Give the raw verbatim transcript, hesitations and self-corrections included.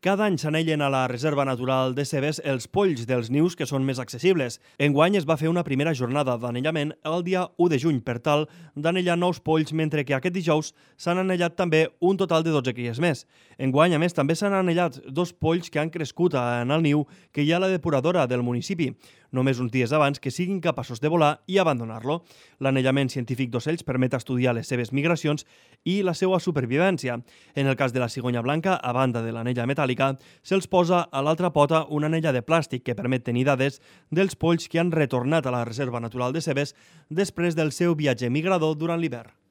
Cada any s'anellen a la Reserva Natural de Cebes els polls dels nius que són més accessibles. Enguany es va fer una primera jornada d'anellament el dia u de juny per tal d'anellar nous polls, mentre que aquest dijous s'han anellat també un total de dotze cries més. Enguany, a més, també s'han anellat dos polls que han crescut en el niu que hi ha a la depuradora del municipi, només uns dies abans que siguin capaços de volar i abandonar-lo. L'anellament científic d'ocells permet estudiar les seves migracions i la seva supervivència. En el cas de la cigonya blanca, a banda de l'anella metàl·lica, se'ls posa a l'altra pota una anella de plàstic que permet tenir dades dels polls que han retornat a la Reserva Natural de Cebes després del seu viatge migrador durant l'hivern.